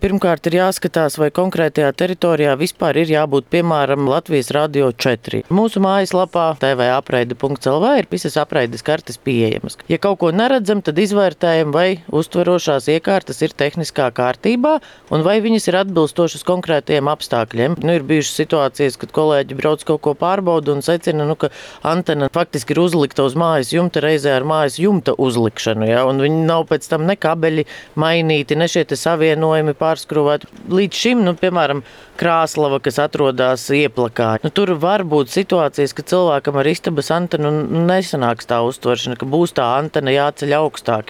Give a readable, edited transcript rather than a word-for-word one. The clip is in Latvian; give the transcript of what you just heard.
Pirmkārt, ir jāskatās, vai konkrētajā teritorijā vispār ir jābūt, piemēram, Latvijas Radio 4. Mūsu mājaslapā tvapreide.lv ir visas apreides kartes pieejamas. Ja kaut ko neredzam, tad izvērtējam, vai uztverošās iekārtas ir tehniskā kārtībā un vai viņas ir atbilstošas konkrētajiem apstākļiem. Ir bijušas situācijas, kad kolēģi brauc kaut ko pārbauda un secina, ka antena faktiski ir uzlikta uz mājas jumta reizē ar mājas jumta uzlikšanu, ja? Un viņi nav pēc tam ne kabeļi mainīti, ne šie savienojumi pārskrūvēt. Līdz šim, piemēram, Krāslava, kas atrodas ieplakā. Tur var būt situācijas, ka cilvēkam ar istabas antenu nesanāks tā uztveršana, ka būs tā antena jāceļ augstāk.